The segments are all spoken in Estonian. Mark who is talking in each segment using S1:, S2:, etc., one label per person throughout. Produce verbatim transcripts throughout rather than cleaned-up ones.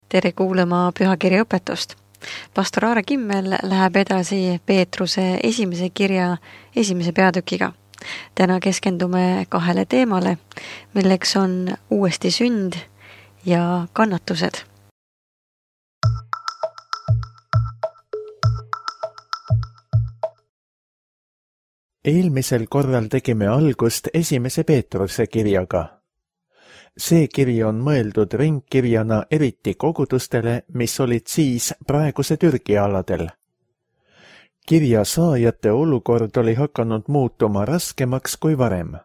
S1: Tere kuulama pühakirja õpetust. Pastor Aare Kimmel läheb edasi Peetruse esimese kirja esimese peatükiga. Täna keskendume kahele teemale, milleks on uuesti sünd ja kannatused.
S2: Eelmisel korral tegime algust esimese Peetruse kirjaga. See kiri on mõeldud ringkirjana eriti kogudustele, mis olid siis praeguse Türgi aladel. Kirja saajate olukord oli hakanud muutuma raskemaks kui varem.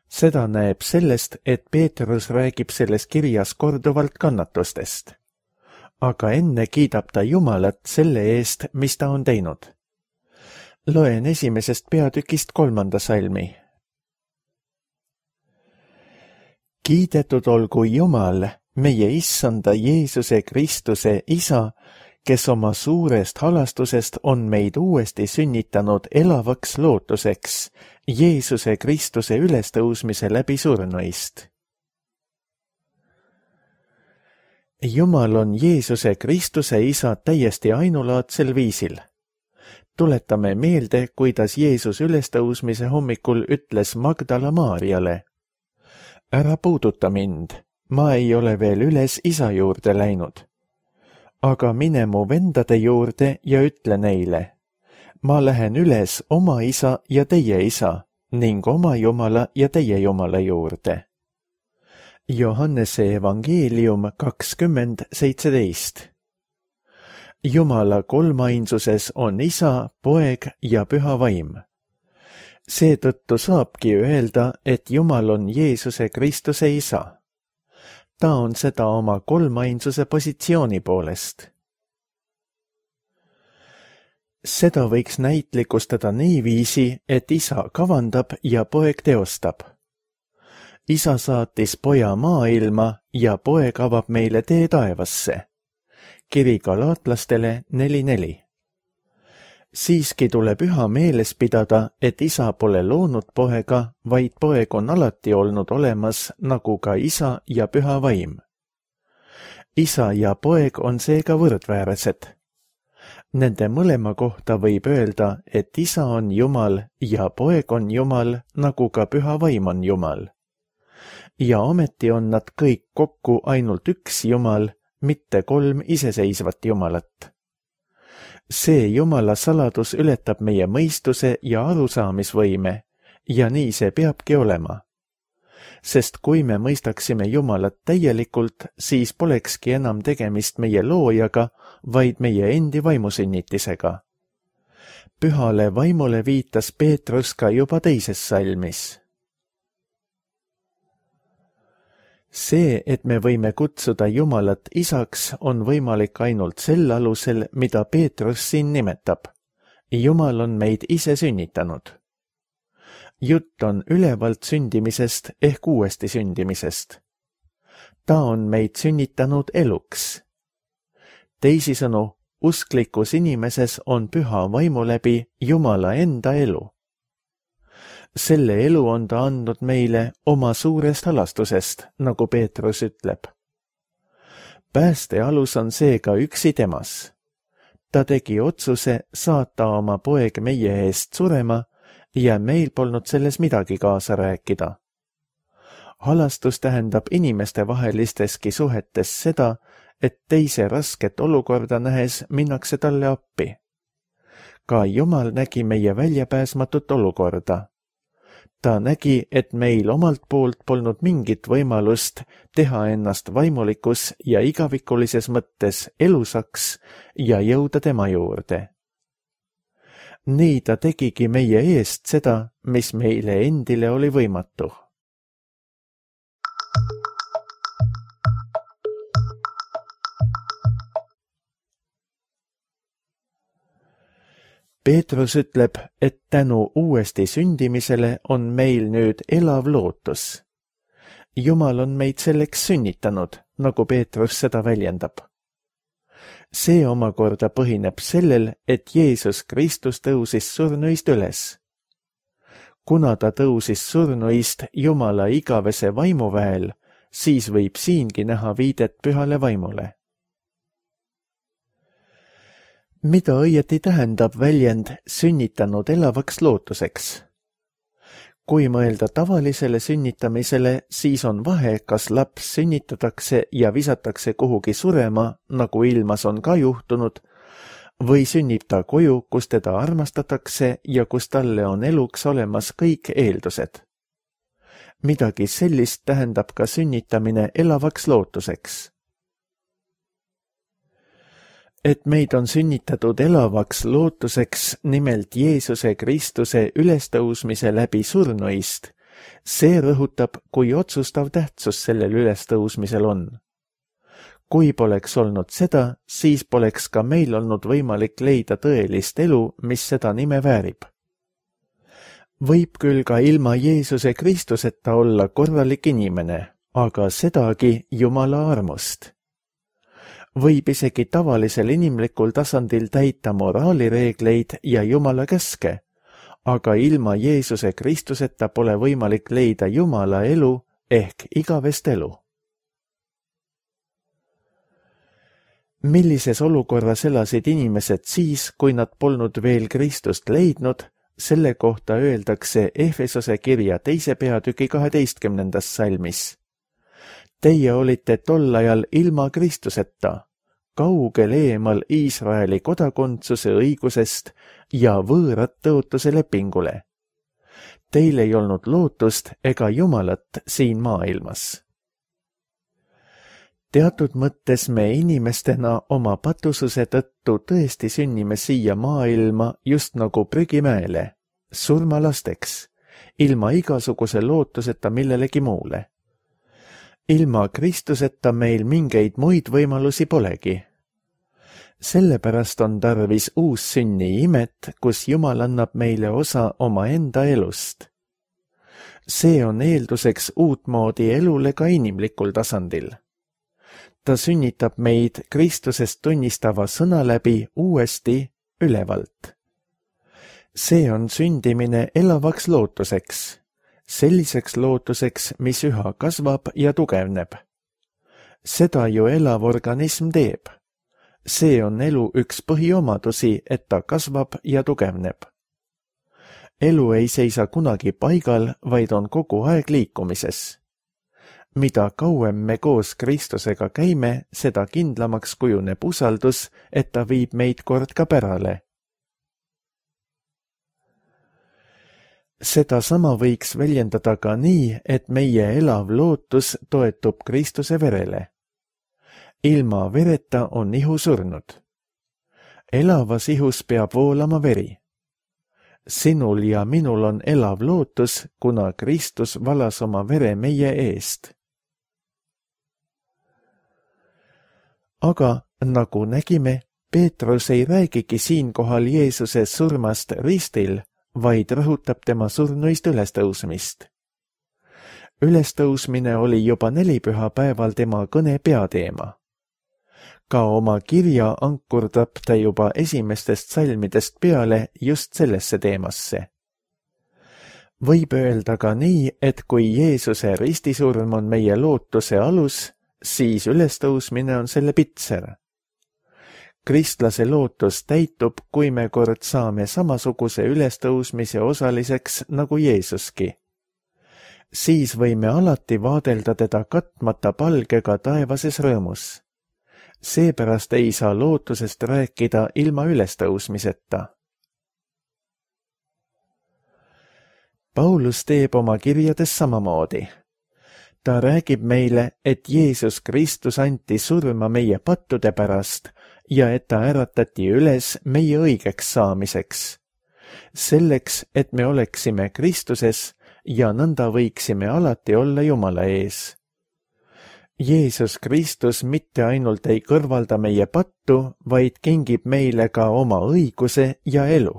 S2: Seda näeb sellest, et Peetrus räägib selles kirjas korduvalt kannatustest. Aga enne kiidab ta Jumalat selle eest, mis ta on teinud. Loen esimesest peatükist kolmanda salmi. Kiidetud olgu Jumal, meie issanda Jeesuse Kristuse Isa, kes oma suurest halastusest on meid uuesti sünnitanud elavaks lootuseks Jeesuse Kristuse ülestõusmise läbi surnuist. Jumal on Jeesuse Kristuse Isa täiesti ainulaadsel viisil. Tuletame meelde, kuidas Jeesus ülestõusmise hommikul ütles Magdala Maarjale: Ära puuduta mind, ma ei ole veel üles isa juurde läinud. Aga mine mu vendade juurde ja ütle neile: Ma lähen üles oma isa ja teie isa ning oma Jumala ja teie Jumala juurde. Johannese evangeelium kakskümmend seitseteist. Jumala kolmainsuses on isa, poeg ja püha vaim. Seetõttu saabki öelda, et Jumal on Jeesuse Kristuse isa. Ta on seda oma kolmainsuse positsiooni poolest. Seda võiks näitlikustada niiviisi, et isa kavandab ja poeg teostab. Isa saatis poja maailma ja poeg avab meile tee taevasse. Kiri galaatlastele neli neli. Siiski tuleb üha meeles pidada, et isa pole loonud poega, vaid poeg on alati olnud olemas nagu ka isa ja püha vaim. Isa ja poeg on seega võrdväärsed. Nende mõlema kohta võib öelda, et isa on Jumal ja poeg on Jumal, nagu ka püha vaim on Jumal. Ja ometi on nad kõik kokku ainult üks Jumal, mitte kolm iseseisvat Jumalat. See Jumala saladus ületab meie mõistuse ja arusaamisvõime ja nii see peabki olema. Sest kui me mõistaksime Jumalat täielikult, siis polekski enam tegemist meie loojaga, vaid meie endi vaimusünnitisega. Pühale vaimule viitas Peetrus ka juba teises salmis. See, et me võime kutsuda Jumalat isaks, on võimalik ainult sel alusel, mida Peetrus siin nimetab. Jumal on meid ise sünnitanud. Jutt on ülevalt sündimisest ehk uuesti sündimisest. Ta on meid sünnitanud eluks. Teisisõnu, usklikus inimeses on püha vaimu läbi Jumala enda elu. Selle elu on ta andnud meile oma suurest halastusest, nagu Peetrus ütleb. Pääste alus on seega üksi temas. Ta tegi otsuse saata oma poeg meie eest surema ja meil polnud selles midagi kaasa rääkida. Halastus tähendab inimestevahelistestki suhetes seda, et teise rasket olukorda nähes minnakse talle appi. Ka Jumal nägi meie väljapääsmatut olukorda. Ta nägi, et meil omalt poolt polnud mingit võimalust teha ennast vaimulikus ja igavikulises mõttes elusaks ja jõuda tema juurde. Nii ta tegigi meie eest seda, mis meile endile oli võimatu. Peetrus ütleb, et tänu uuesti sündimisele on meil nüüd elav lootus. Jumal on meid selleks sünnitanud, nagu Peetrus seda väljendab. See omakorda põhineb sellel, et Jeesus Kristus tõusis surnuist üles. Kuna ta tõusis surnuist Jumala igavese vaimuväel, siis võib siingi näha viidet pühale vaimule. Mida õieti tähendab väljend sünnitanud elavaks lootuseks? Kui mõelda tavalisele sünnitamisele, siis on vahe, kas laps sünnitatakse ja visatakse kuhugi surema, nagu ilmas on ka juhtunud, või sünnib ta koju, kus teda armastatakse ja kus talle on eluks olemas kõik eeldused. Midagi sellist tähendab ka sünnitamine elavaks lootuseks. Et meid on sünnitatud elavaks lootuseks nimelt Jeesuse Kristuse ülestõusmise läbi surnuist, see rõhutab, kui otsustav tähtsus sellel ülestõusmisel on. Kui poleks olnud seda, siis poleks ka meil olnud võimalik leida tõelist elu, mis seda nime väärib. Võib küll ka ilma Jeesuse Kristuseta olla korralik inimene, aga sedagi Jumala armust. Võib isegi tavalisel inimlikul tasandil täita moraalireegleid ja Jumala käske, aga ilma Jeesuse Kristuseta pole võimalik leida Jumala elu ehk igavest elu. Millises olukorras elasid inimesed siis, kui nad polnud veel Kristust leidnud, selle kohta öeldakse Efesose kirja teise peatüki kaheteistkümnendas salmis. Teie olite tol ajal ilma Kristuseta, kaugel eemal Iisraeli kodakondsuse õigusest ja võõrat tõotuse lepingule. Teil ei olnud lootust ega Jumalat siin maailmas. Teatud mõttes me inimestena oma patususe tõttu tõesti sünnime siia maailma just nagu prügimäele, surmalasteks, ilma igasuguse lootuseta millelegi muule. Ilma Kristuseta meil mingeid muid võimalusi polegi. Sellepärast on tarvis uus sünni imet, kus Jumal annab meile osa oma enda elust. See on eelduseks uutmoodi elule ka inimlikul tasandil. Ta sünnitab meid Kristusest tunnistava sõna läbi uuesti ülevalt. See on sündimine elavaks lootuseks, selliseks lootuseks, mis üha kasvab ja tugevneb. Seda ju elav organism teeb. See on elu üks põhiomadusi, et ta kasvab ja tugevneb. Elu ei seisa kunagi paigal, vaid on kogu aeg liikumises. Mida kauem me koos Kristusega käime, seda kindlamaks kujuneb usaldus, et ta viib meid kord ka pärale. Seda sama võiks väljendada ka nii, et meie elav lootus toetub Kristuse verele. Ilma vereta on ihu surnud. Elavas ihus peab voolama veri. Sinul ja minul on elav lootus, kuna Kristus valas oma vere meie eest. Aga nagu nägime, Peetrus ei räägigi siinkohal Jeesuse surmast ristil, vaid rõhutab tema surnuist ülestõusmist. Ülestõusmine oli juba nelipühapäeval tema kõne peateema. Ka oma kirja ankurdab ta juba esimestest salmidest peale just sellesse teemasse. Võib öelda ka nii, et kui Jeesuse ristisurm on meie lootuse alus, siis ülestõusmine on selle pitser. Kristlase lootus täitub, kui me kord saame samasuguse ülestõusmise osaliseks nagu Jeesuski. Siis võime alati vaadelda teda katmata palgega taevases rõõmus. Seepärast ei saa lootusest rääkida ilma ülestõusmiseta. Paulus teeb oma kirjades samamoodi. Ta räägib meile, et Jeesus Kristus anti surma meie pattude pärast ja et ta äratati üles meie õigeks saamiseks. Selleks, et me oleksime Kristuses ja nõnda võiksime alati olla Jumala ees. Jeesus Kristus mitte ainult ei kõrvalda meie pattu, vaid kingib meile ka oma õiguse ja elu.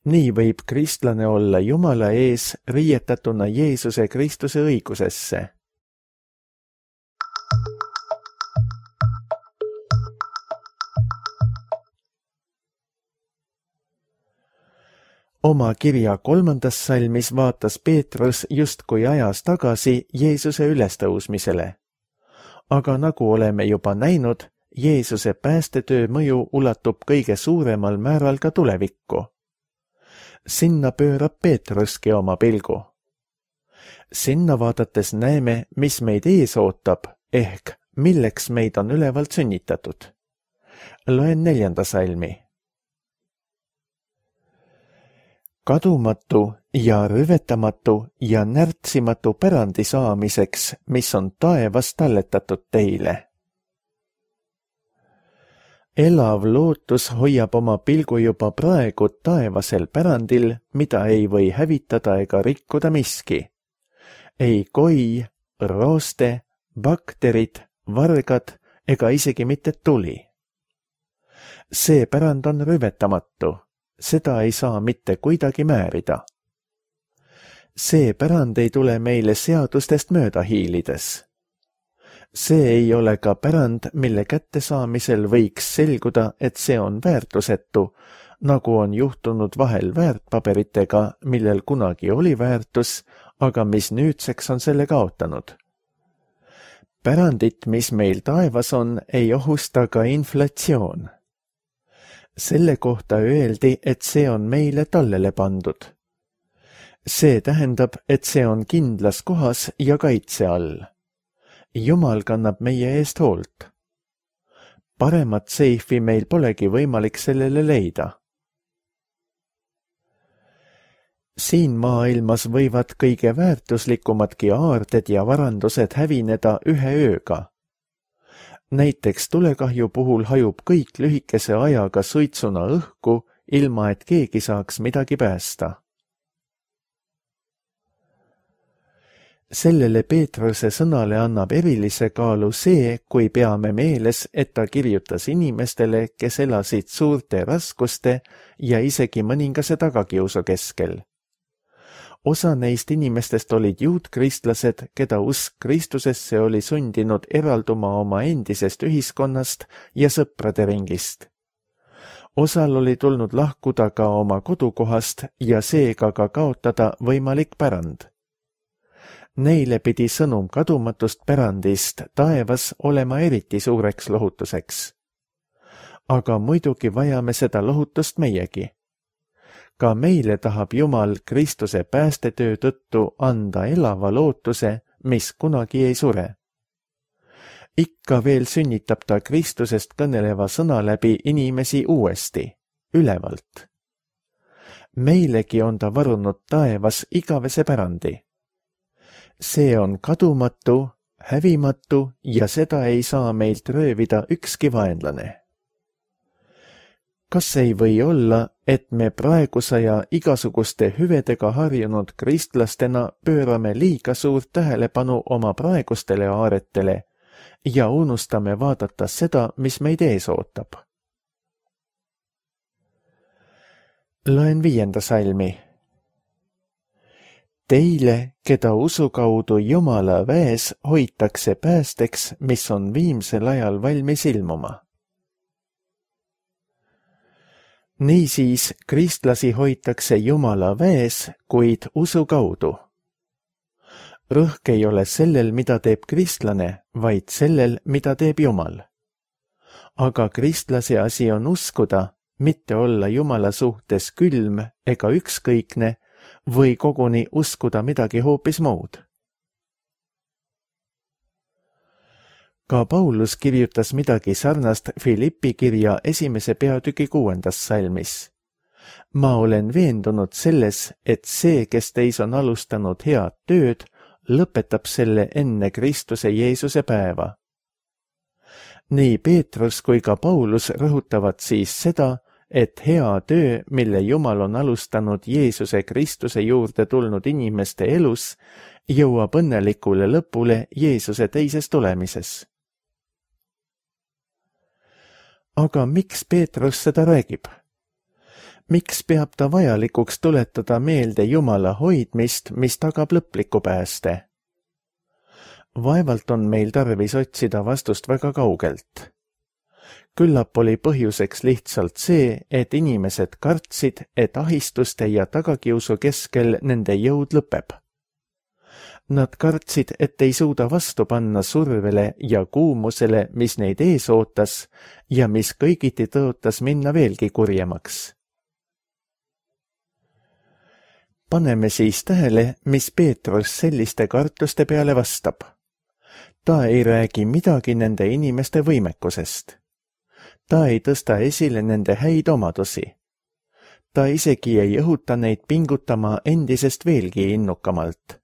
S2: Nii võib kristlane olla Jumala ees riietatuna Jeesuse Kristuse õigusesse. Oma kirja kolmandas salmis vaatas Peetrus justkui ajas tagasi Jeesuse ülestõusmisele. Aga nagu oleme juba näinud, Jeesuse päästetöö mõju ulatub kõige suuremal määral ka tulevikku. Sinna pöörab Peetruski oma pilgu. Sinna vaadates näeme, mis meid ees ootab, ehk milleks meid on ülevalt sünnitatud. Loen neljanda salmi. Kadumatu ja rüvetamatu ja närtsimatu pärandi saamiseks, mis on taevas talletatud teile. Elav lootus hoiab oma pilgu juba praegu taevasel pärandil, mida ei või hävitada ega rikkuda miski. Ei koi, rooste, bakterid, vargad ega isegi mitte tuli. See pärand on rüvetamatu, seda ei saa mitte kuidagi määrida. See pärand ei tule meile seadustest mööda hiilides. See ei ole ka pärand, mille kättesaamisel võiks selguda, et see on väärtusetu, nagu on juhtunud vahel väärtpaberitega, millel kunagi oli väärtus, aga mis nüüdseks on selle kaotanud. Pärandit, mis meil taevas on, ei ohusta ka inflatsioon. Selle kohta öeldi, et see on meile tallele pandud. See tähendab, et see on kindlas kohas ja kaitse all. Jumal kannab meie eest hoolt. Paremat seifi meil polegi võimalik sellele leida. Siin maailmas võivad kõige väärtuslikumadki aarded ja varandused hävineda ühe ööga. Näiteks tulekahju puhul hajub kõik lühikese ajaga suitsuna õhku, ilma et keegi saaks midagi päästa. Sellele Peetruse sõnale annab erilise kaalu see, kui peame meeles, et ta kirjutas inimestele, kes elasid suurte raskuste ja isegi mõningase tagakiusu keskel. Osa neist inimestest olid juutkristlased, keda usk Kristusesse oli sundinud eralduma oma endisest ühiskonnast ja sõprade ringist. Osal oli tulnud lahkuda ka oma kodukohast ja seega ka kaotada võimalik pärand. Neile pidi sõnum kadumatust pärandist taevas olema eriti suureks lohutuseks. Aga muidugi vajame seda lohutust meiegi. Ka meile tahab Jumal Kristuse päästetöö tõttu anda elava lootuse, mis kunagi ei sure. Ikka veel sünnitab ta Kristusest kõneleva sõna läbi inimesi uuesti, ülevalt. Meilegi on ta varunud taevas igavese pärandi. See on kadumatu, hävimatu ja seda ei saa meilt röövida ükski vaenlane. Kas ei või olla, et me praegusaja igasuguste hüvedega harjunud kristlastena pöörame liiga suurt tähelepanu oma praegustele aaretele ja unustame vaadata seda, mis meid ees ootab? Loen viienda salmi. Teile, keda usu kaudu Jumala väes hoitakse päästeks, mis on viimsel ajal valmis ilmuma. Niisiis, kristlasi hoitakse Jumala väes, kuid usu kaudu. Rõhk ei ole sellel, mida teeb kristlane, vaid sellel, mida teeb Jumal. Aga kristlase asi on uskuda, mitte olla Jumala suhtes külm ega ükskõikne, või koguni uskuda midagi hoopis muud. Ka Paulus kirjutas midagi sarnast Filippi kirja esimese peatüki kuuendas salmis. Ma olen veendunud selles, et see, kes teis on alustanud head tööd, lõpetab selle enne Kristuse Jeesuse päeva. Nii Peetrus kui ka Paulus rõhutavad siis seda, et hea töö, mille Jumal on alustanud Jeesuse Kristuse juurde tulnud inimeste elus, jõuab õnnelikule lõpule Jeesuse teises tulemises. Aga miks Peetrus seda räägib? Miks peab ta vajalikuks tuletada meelde Jumala hoidmist, mis tagab lõpliku pääste? Vaevalt on meil tarvis otsida vastust väga kaugelt. Küllap oli põhjuseks lihtsalt see, et inimesed kartsid, et ahistuste ja tagakiusu keskel nende jõud lõpeb. Nad kartsid, et ei suuda vastu panna survele ja kuumusele, mis neid ees ootas ja mis kõigiti tõotas minna veelgi kurjemaks. Paneme siis tähele, mis Peetrus selliste kartuste peale vastab. Ta ei räägi midagi nende inimeste võimekusest. Ta ei tõsta esile nende häid omadusi. Ta isegi ei õhuta neid pingutama endisest veelgi innukamalt.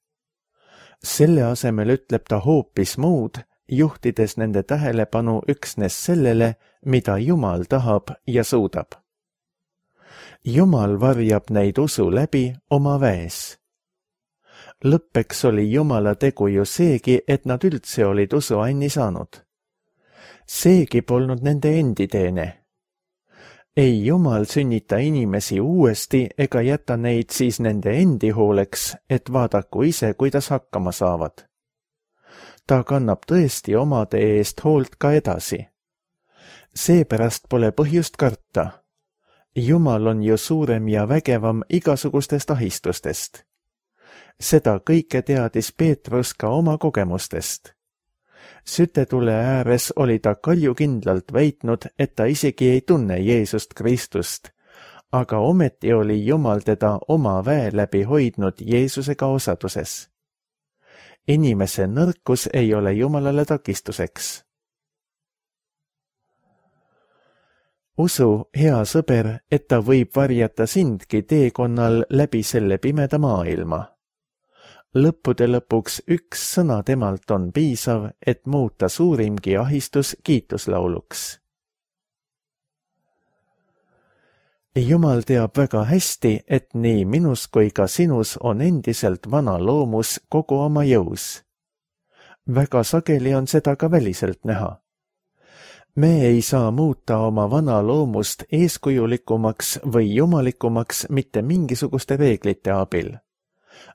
S2: Selle asemel ütleb ta hoopis muud, juhtides nende tähelepanu üksnes sellele, mida Jumal tahab ja suudab. Jumal varjab neid usu läbi oma väes. Lõppeks oli Jumala tegu ju seegi, et nad üldse olid usu anni saanud. Seegi polnud nende endi teene. Ei Jumal sünnita inimesi uuesti ega jäta neid siis nende endi hooleks, et vaadaku ise, kuidas hakkama saavad. Ta kannab tõesti omade eest hoolt ka edasi. Seepärast pole põhjust karta. Jumal on ju suurem ja vägevam igasugustest ahistustest. Seda kõike teadis Peetrus ka oma kogemustest. Sütetule ääres oli ta kaljukindlalt väitnud, et ta isegi ei tunne Jeesust Kristust, aga ometi oli Jumal teda oma väe läbi hoidnud Jeesusega osaduses. Inimese nõrkus ei ole Jumalale takistuseks. Usu, hea sõber, et ta võib varjata sindki teekonnal läbi selle pimeda maailma. Lõppude lõpuks üks sõna temalt on piisav, et muuta suurimgi ahistus kiituslauluks. Jumal teab väga hästi, et nii minus kui ka sinus on endiselt vana loomus kogu oma jõus. Väga sageli on seda ka väliselt näha. Me ei saa muuta oma vana loomust eeskujulikumaks või jumalikumaks mitte mingisuguste reeglite abil.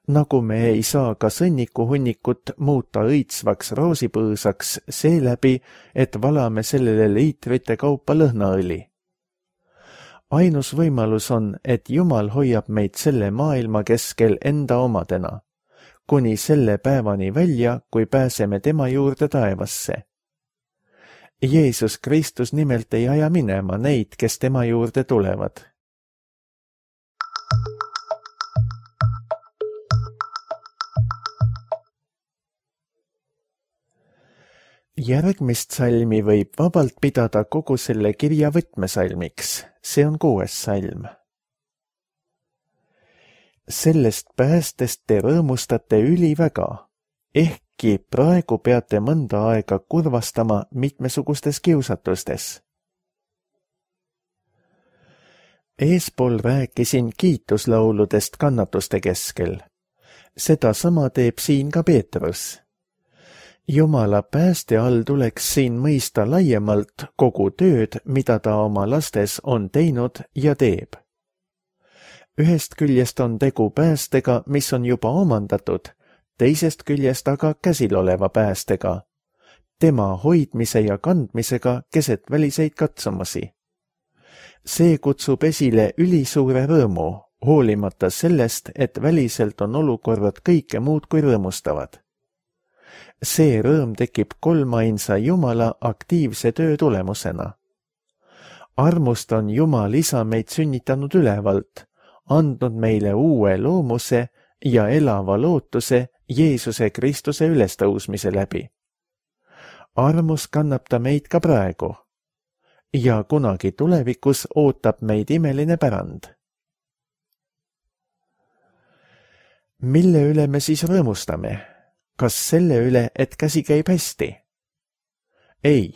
S2: Nagu me ei saa ka sõnnikuhunnikut muuta õitsvaks roosipõõsaks seeläbi, et valame sellele liitrite kaupa lõhnaõli. Ainus võimalus on, et Jumal hoiab meid selle maailma keskel enda omadena, kuni selle päevani välja, kui pääseme tema juurde taevasse. Jeesus Kristus nimelt ei aja minema neid, kes tema juurde tulevad. Järgmist salmi võib vabalt pidada kogu selle kirja võtmesalmiks, see on kuues salm. Sellest päästest te rõõmustate üliväga, ehkki praegu peate mõnda aega kurvastama mitmesugustes kiusatustes. Eespool rääkisin kiituslauludest kannatuste keskel. Seda sama teeb siin ka Peetrus. Jumala pääste all tuleks siin mõista laiemalt kogu tööd, mida ta oma lastes on teinud ja teeb. Ühest küljest on tegu päästega, mis on juba omandatud, teisest küljest aga käsil oleva päästega, tema hoidmise ja kandmisega keset väliseid katsumusi. See kutsub esile ülisuure rõõmu, hoolimata sellest, et väliselt on olukorrad kõike muud kui rõõmustavad. See rõõm tekib kolmainsa Jumala aktiivse töö tulemusena. Armust on Jumal isa meid sünnitanud ülevalt, andnud meile uue loomuse ja elava lootuse Jeesuse Kristuse ülestõusmise läbi. Armus kannab ta meid ka praegu ja kunagi tulevikus ootab meid imeline pärand. Mille üle me siis rõõmustame? Kas selle üle, et käsi käib hästi? Ei,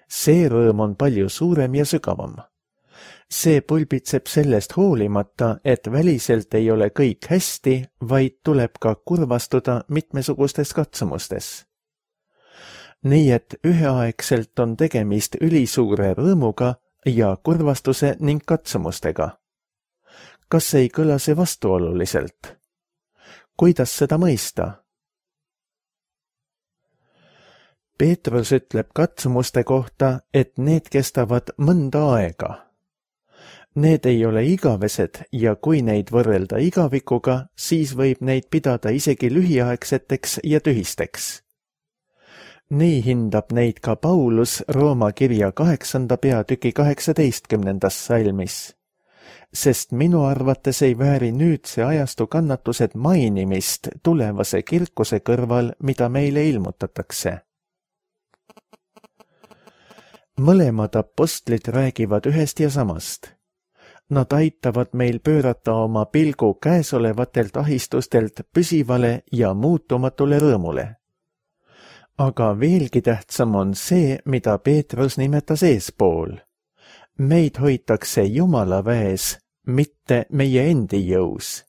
S2: see rõõm on palju suurem ja sügavam. See pulbitseb sellest hoolimata, et väliselt ei ole kõik hästi, vaid tuleb ka kurvastuda mitmesugustes katsumustes. Nii et üheaegselt on tegemist ülisuure rõõmuga ja kurvastuse ning katsumustega. Kas ei kõla see vastuoluliselt? Kuidas seda mõista? Peetrus ütleb katsumuste kohta, et need kestavad mõnda aega. Need ei ole igavesed ja kui neid võrrelda igavikuga, siis võib neid pidada isegi lühiaegseteks ja tühisteks. Nii hindab neid ka Paulus Rooma kirja kaheksanda peatüki kaheksateistkümnendas salmis, sest minu arvates ei vääri nüüdse ajastu kannatused mainimist tulevase kirkuse kõrval, mida meile ilmutatakse. Mõlemad apostlid räägivad ühest ja samast. Nad aitavad meil pöörata oma pilgu käesolevatelt ahistustelt püsivale ja muutumatule rõõmule. Aga veelgi tähtsam on see, mida Peetrus nimetas eespool. Meid hoitakse Jumala väes, mitte meie endi jõus.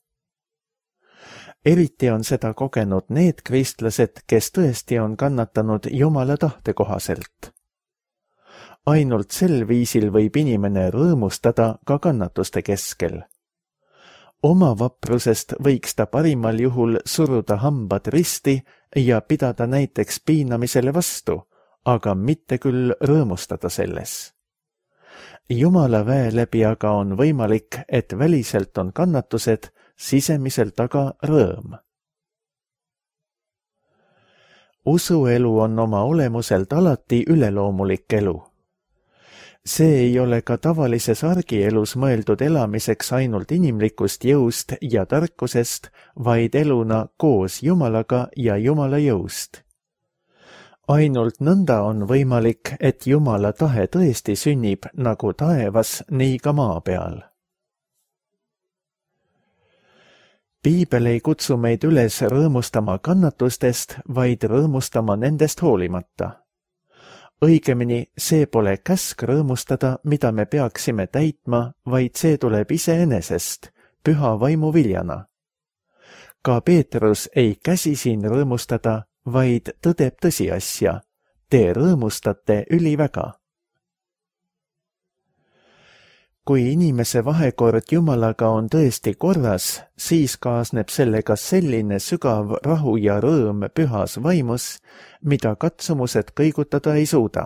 S2: Eriti on seda kogenud need kristlased, kes tõesti on kannatanud Jumala tahte kohaselt. Ainult sel viisil võib inimene rõõmustada ka kannatuste keskel. Oma vaprusest võiks ta parimal juhul suruda hambad risti ja pidada näiteks piinamisele vastu, aga mitte küll rõõmustada selles. Jumala väe läbi aga on võimalik, et väliselt on kannatused, sisemiselt aga rõõm. Usuelu on oma olemuselt alati üleloomulik elu. See ei ole ka tavalises argielus mõeldud elamiseks ainult inimlikust jõust ja tarkusest, vaid eluna koos Jumalaga ja Jumala jõust. Ainult nõnda on võimalik, et Jumala tahe tõesti sünnib nagu taevas, nii ka maa peal. Piibel ei kutsu meid üles rõõmustama kannatustest, vaid rõõmustama nendest hoolimata. Õigemini, see pole käsk rõõmustada, mida me peaksime täitma, vaid see tuleb iseenesest, püha vaimu viljana. Ka Peetrus ei käsi siin rõõmustada, vaid tõdeb tõsiasja. Te rõõmustate üliväga. Kui inimese vahekord Jumalaga on tõesti korras, siis kaasneb sellega selline sügav rahu ja rõõm pühas vaimus, mida katsumused kõigutada ei suuda.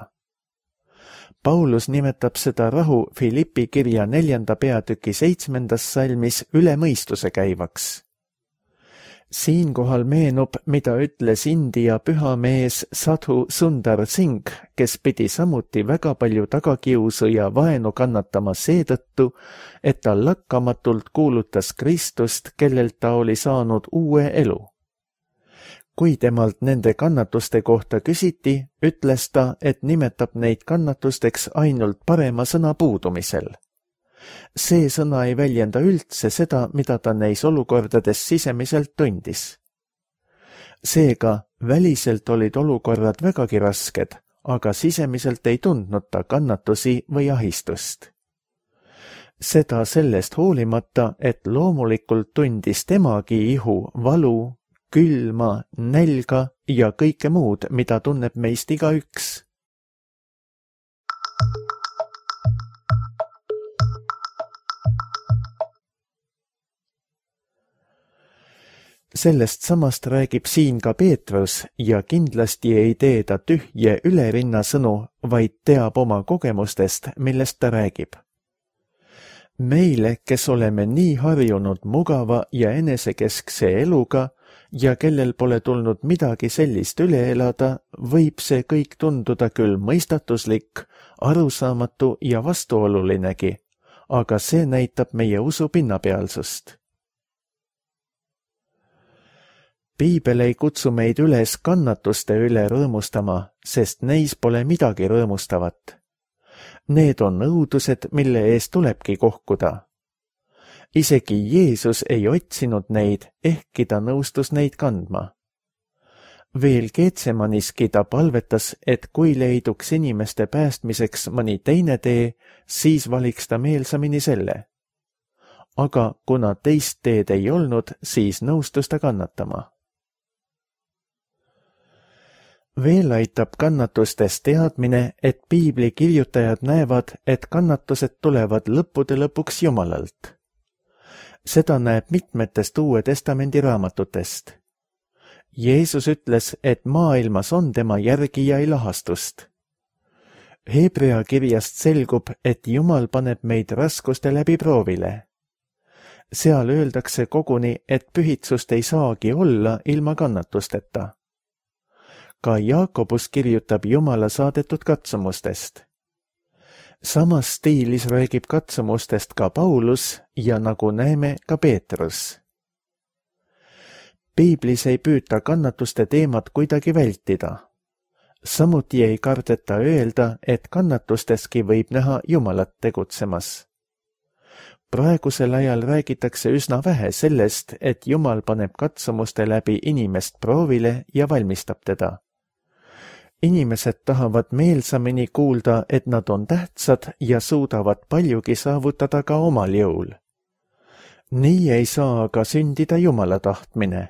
S2: Paulus nimetab seda rahu Filippi kirja neljanda peatüki seitsmendas salmis üle mõistuse käivaks. Siinkohal meenub, mida ütles India pühamees Sadhu Sundar Singh, kes pidi samuti väga palju tagakiusu ja vaenu kannatama seetõttu, et ta lakkamatult kuulutas Kristust, kellelt ta oli saanud uue elu. Kui temalt nende kannatuste kohta küsiti, ütles ta, et nimetab neid kannatusteks ainult parema sõna puudumisel. See sõna ei väljenda üldse seda, mida ta neis olukordades sisemiselt tundis. Seega, väliselt olid olukorrad vägagi rasked, aga sisemiselt ei tundnud ta kannatusi või ahistust. Seda sellest hoolimata, et loomulikult tundis temagi ihu, valu, külma, nälga ja kõike muud, mida tunneb meist igaüks. Sellest samast räägib siin ka Peetrus ja kindlasti ei tee ta tühje ülerinna sõnu, vaid teab oma kogemustest, millest ta räägib. Meile, kes oleme nii harjunud mugava ja enesekeskse eluga ja kellel pole tulnud midagi sellist üle elada, võib see kõik tunduda küll mõistatuslik, arusaamatu ja vastuolulinegi, aga see näitab meie usu pinnapealsust. Piibel ei kutsu meid üles kannatuste üle rõõmustama, sest neis pole midagi rõõmustavat. Need on õudused, mille eest tulebki kohkuda. Isegi Jeesus ei otsinud neid, ehkki ta nõustus neid kandma. Veel Getsemaniski ta palvetas, et kui leiduks inimeste päästmiseks mõni teine tee, siis valiks ta meelsamini selle. Aga kuna teist teed ei olnud, siis nõustus ta kannatama. Veel aitab kannatustest teadmine, et piibli kirjutajad näevad, et kannatused tulevad lõppude lõpuks Jumalalt. Seda näeb mitmetest Uue Testamendi raamatutest. Jeesus ütles, et maailmas on tema järgijail lahastust. Hebrea kirjast selgub, et Jumal paneb meid raskuste läbi proovile. Seal öeldakse koguni, et pühitsust ei saagi olla ilma kannatusteta. Ka Jaakobus kirjutab Jumala saadetud katsumustest. Samas stiilis räägib katsumustest ka Paulus ja nagu näeme ka Peetrus. Piiblis ei püüta kannatuste teemat kuidagi vältida. Samuti ei kardeta öelda, et kannatusteski võib näha Jumalat tegutsemas. Praegusel ajal räägitakse üsna vähe sellest, et Jumal paneb katsumuste läbi inimest proovile ja valmistab teda. Inimesed tahavad meelsamini kuulda, et nad on tähtsad ja suudavad paljugi saavutada ka omal jõul. Nii ei saa aga sündida Jumala tahtmine.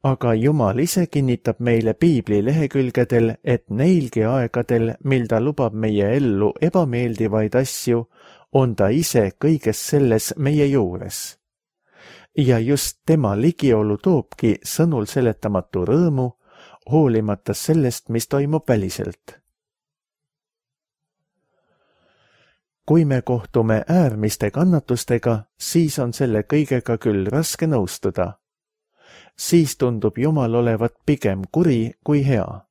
S2: Aga Jumal ise kinnitab meile Piibli lehekülgedel, et neilgi aegadel, mil ta lubab meie ellu ebameeldivaid asju, on ta ise kõiges selles meie juures. Ja just tema ligiolu toobki sõnul seletamatu rõõmu, hoolimata sellest, mis toimub väliselt. Kui me kohtume äärmiste kannatustega, siis on selle kõigega küll raske nõustuda. Siis tundub Jumal olevat pigem kuri kui hea.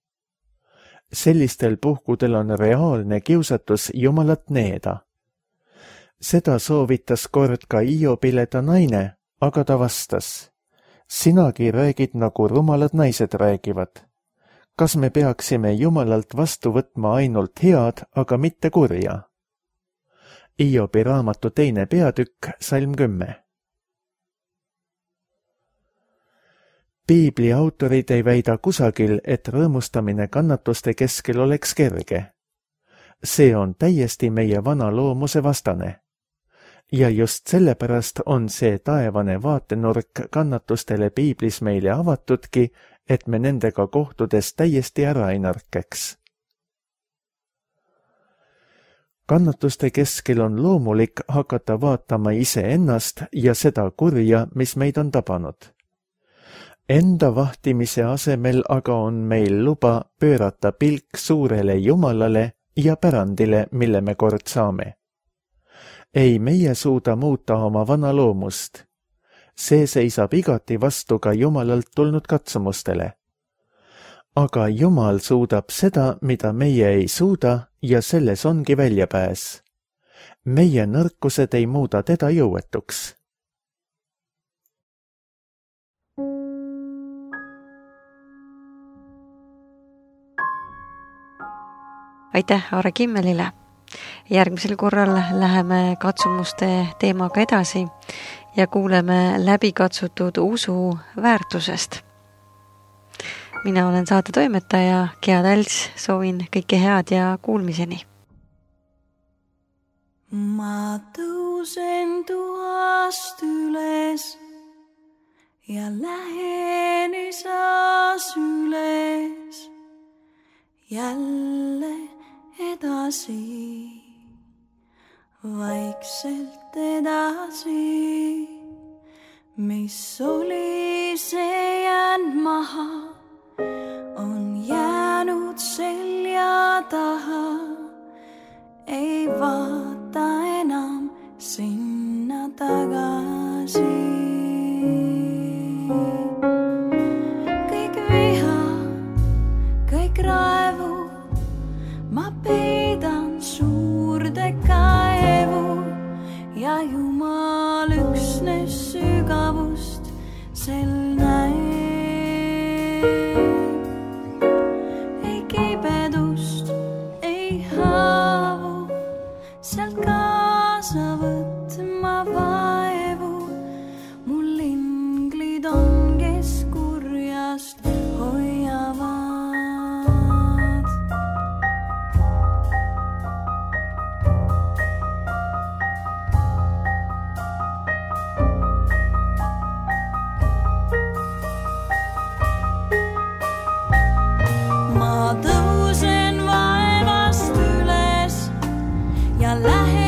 S2: Sellistel puhkudel on reaalne kiusatus Jumalat needa. Seda soovitas kord ka Hiobile ta naine, aga ta vastas: sinagi räägid nagu rumalad naised räägivad. Kas me peaksime Jumalalt vastu võtma ainult head, aga mitte kurja? Hiobi raamatu teine peatükk, salm kümme. Piibli autorid ei väida kusagil, et rõõmustamine kannatuste keskel oleks kerge. See on täiesti meie vana loomuse vastane. Ja just sellepärast on see taevane vaatenurk kannatustele Piiblis meile avatudki, et me nendega kohtudes täiesti ära ei nõrkeks. Kannatuste keskel on loomulik hakata vaatama iseennast ja seda kurja, mis meid on tabanud. Enda vahtimise asemel aga on meil luba pöörata pilk suurele Jumalale ja pärandile, mille me kord saame. Ei meie suuda muuta oma vana loomust. See seisab igati vastu ka Jumalalt tulnud katsumustele. Aga Jumal suudab seda, mida meie ei suuda, ja selles ongi väljapääs. Meie nõrkused ei muuda teda jõuetuks.
S1: Aitäh Aare Kimmelile. Järgmisel korral läheme katsumuste teemaga edasi ja kuuleme läbikatsutud usu väärtusest. Mina olen saate toimetaja Gea Tälts, soovin kõike head ja kuulmiseni.
S3: Ma tõusen tuhast üles ja lähen isas üles jälle edasi, vaikselt edasi, mis oli see jäänud maha, on jäänud selja taha, ei vaata enam sinna tagasi. Kõik viha, kõik raevu, ma peidan suurde kaevu ja Jumal üksnes sügavust sel näeb. Ei kibedust, ei haavu, sealt kaasa võtma vaevu. Mul inglid on, kes kurjast hoiavad. Ma tõusen vaevast üles ja lähen